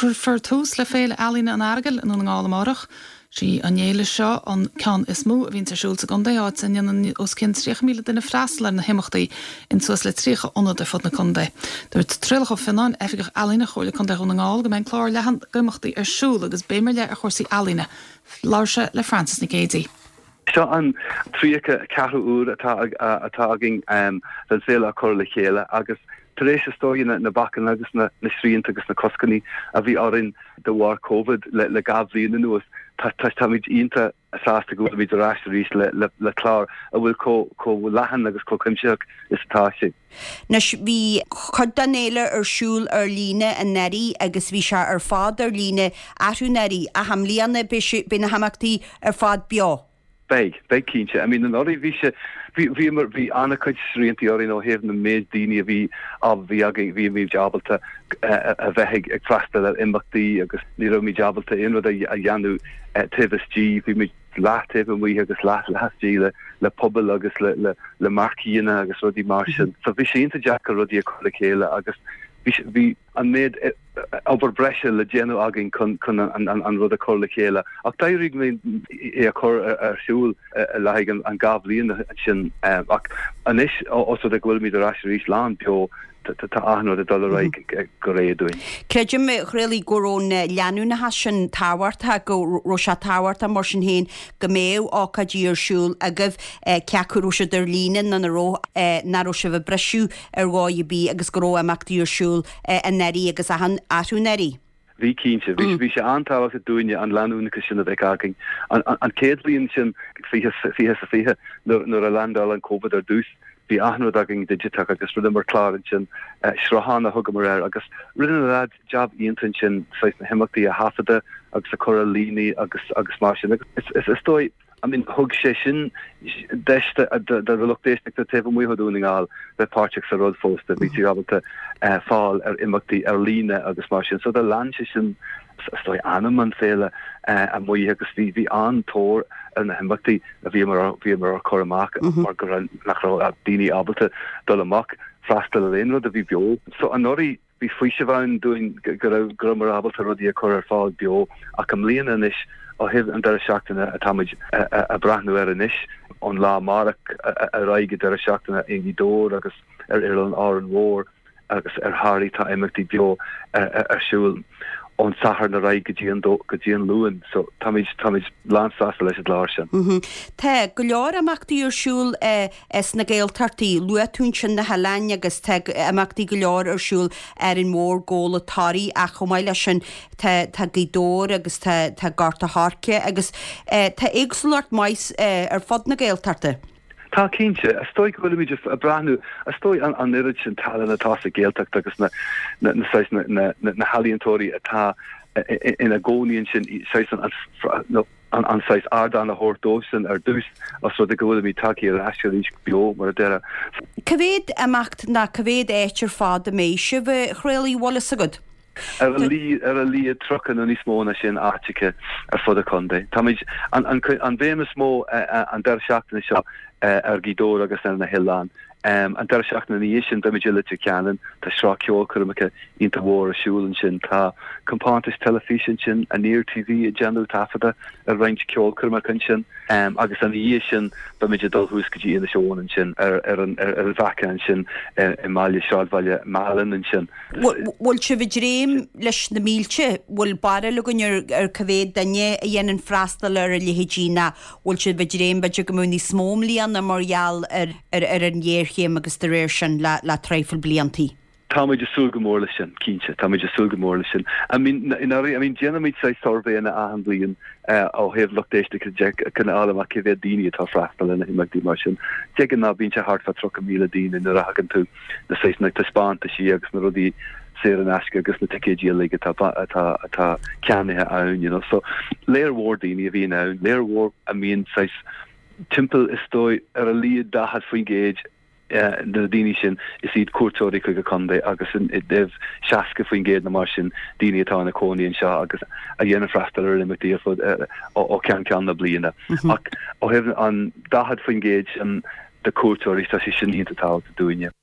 Cuirfear tús le Féile Ealaíne an Earagail i nDún na nGall amárach. Sí an fhéile seo an ceann is mó a bhíonns ar siúl sa gcontae, áit a ndéanann os cionn 30,000 duine freastal ar na himeachtaí in suas le 30 ionad ar fud na contae. Dúirt Traolach Ó Fionnáin, Oifigeach Ealaíne Chomhairle Contae Dhún na nGall, go mbeidh an clár leathan d'imeachtaí ar siúl agus béim ar leith ar chúrsaí ealaíne. Labhair sé le Frances Nic Géadaigh. Seo an 34ú uair atá atá againn den féile á cur le chéile agus tar éis is dóigh na bacanna agus na srianta agus na coscanna a bhí orainn de bharr Covid le 2 bhliain anuas, táimid iontach sásta go bhfuilimid ar ais arís le clár a bhfuil chomh leathan agus chomh cuimsitheach is atá sé. Anois, bhí cuid den fhéile ar siúl ar líne anuraidh agus bhí sé ar fad ar líne arú anuraidh ach i mbliana beidh sé, beidh na himeachtaí ar fad beo. Beidh, beidh cinnte. I mean anuraidh bhí sé, bhí, bhíomar, bhí an-chuid sriantaí orainn ó thaobh na méid daoine a bhí, a bhí againn, bhí muid ábalta a bheith ag, ag freastal ar imeachtaí agus ní raibh muid ábalta aon rud a dhéanamh taobh istigh, bhí muid leath taobh amuigh agus leath laistigh le, le pubaill agus le, le, le marqueeanna agus rudaí mar sin. So bhí sé iontach deacair rudaí a chur le chéile agus bhí, bhí an méid obair breise le déanamh againn chun, chun an, an, an rud a chur le chéile. Ach d'éirigh linn é a chur ar siúl le haghaidh an, an 2 bhliain sin. Ach anois, os rud é go bhfuilimid ar ais arís lán beo, tá achan rud ag dul ar aghaidh go réidh dúinn. Creidim, a Thraolaigh, go raibh an leanúnachas sin tábhachtach, go raibh sé tábhachtach mar sin féin go mbeadh ócáidí ar siúl agaibh, cé acu raibh siad ar líne nó nach raibh, nach raibh sibh ag briseadh ar dhóigh ar bith agus go raibh imeachtaí ar siúl anuraidh agus arú anuraidh. Bhí, cinnte. Bhí, bhí sé an-tábhachtach dúinne an leanúnachas sin a bheith againn. An, an chéad bhliain sin, 20, 20 sa 20, nuair, nuair a landáil an Covid ar dtús, bhí achan rud againn digiteach agus rinneamar clár ansin, sruthán a thugamar air agus rinne na leaids jab iontach ansin, saghas na himeachtaí a thaifeadadh agus a chur ar líne agus, agus mar sin. Agus is, is, is dóigh, I mean, thug sé sin deis do lucht éisteachta taobh amuigh de Dhún na nGall bheith páirteach sa rud fosta. Bhí siad ábalta fáil ar imeachtaí ar líne agus mar sin. So do lean sé sin is dóigh anam an féile amuigh agus bhí bhí an-tóir ar na himeachtaí a bhíomar bhíomar á cur amach mar go raibh nach raibh daoine ábalta dul amach freastal ar aon rud a bhí beo. So anuraidh Bhí faoiseamh ann dúinn go raibh go rabhamar ábalta rudaí a chur ar fáil beo ach i mbliana anois ó thaobh an deireadh seachtaine atáimid a breathnú air anois, ón lá amárach ar aghaidh go deireadh seachtaine i nGaoth Dobhair agus ar Oileán Árainn Mhór agus ar Thoraí tá imeachtaí beo ar siúl ón Satharn ar aghaidh go dtí an go dtí an Luan so táimid táimid lánsásta leis an gclár sin. Tá go leor imeachtaí ar siúl sna Gaeltachtaí. Luaigh tú ansin na hoileáin agus tá imeachtaí go leor ar siúl Árainn Mhór, Gabhla, Toraigh ach chomh maith leis sin tá tá Gaoth Dobhair agus tá tá Gort a' Choirce agus tá éagsúlacht maith ar fud na Gaeltachta. Tá cinnte. Is dóigh go bhfuilimid ag breathnú, is dóigh an an oiread sin tallann atá sa Ghaeltacht agus na na na saghas na na na healaíontóirí atá ina gcónaí ansin saghas an an an saghas ardán a thabhairt dóibhsean ar dtús, os rud é go bhfuilimid tagtha ar ais arís beo, mar a déarfá. Cá mhéad imeacht ná cá mhéad áit ar fad a mbeidh sibh a Thraolaigh, bhfuil fhios agat? Ar a ar a laghad 30 nó níos mó ná sin áiteacha ar fud an chontae. Táimid, an an an bhéim is mó an deireadh seachtaine seo ar Ghaoth Dobhair agus ar na hoileáin. An deireadh seachtaine ina dhiaidh sin beimid i Leitir Ceanainn. Tá sraith ceolchoirmeacha iontach mhór ar siúl ansin. Tá compántas teilifíse ansin, Aniar TV, ag déanamh taifeadadh ar roinnt ceolchoirmeacha ansin. Agus ina dhiaidh sin beimid ag dul thuas go dtí Inis Eoghain ansin ar an bhFaiche ansin i mbaile, sráidbhaile Mheálainn ansin. Bhfuil sibh ag dréim leis na mílte? Bhfuil barúil againn ar cá mhéad duine a dhéanann freastal ar a leithéidí ná bhfuil sibh ag dréim b'fhéidir go mbeadh níos mó i mbliana mar gheall ar ar an ghéarchéim agus de réir sin le le traidhfil bliantaí. Táimid ag súil go mór leis sin, cinnte. Táimid ag súil go mór leis sin. I mean, i ndáiríre, I mean, déanaimid saghas suirbhéanna achan bhliain ó thaobh lucht éisteachta de chun a fháil amach cé mhéad daoine atá ag freastal ar na himeachtaí mar sin. De ghnáth bíonn sé thart fá 30,000 daoine nuair a thagann tú na saghas na taispeántaisí agus na rudaí saor in aisce agus na ticéidí uilig atá atá atá ceannaithe ann, you know. So léar mhór daoine a bhíonn ann, léar mhór a mbíonn saghas timpeall is dóigh ar a laghad 40% de na daoine sin is iad cuairteoirí chuig an chontae agus i dtaobh 60% nó mar sin daoine atá ina cónaí anseo agus a dhéanann freastal ar imeachtaí ar fud ó cheann ceann na bliana. Ach ó thaobh an 40% sin de cuairteoirí tá sé sin iontach tábhachtach dúinne.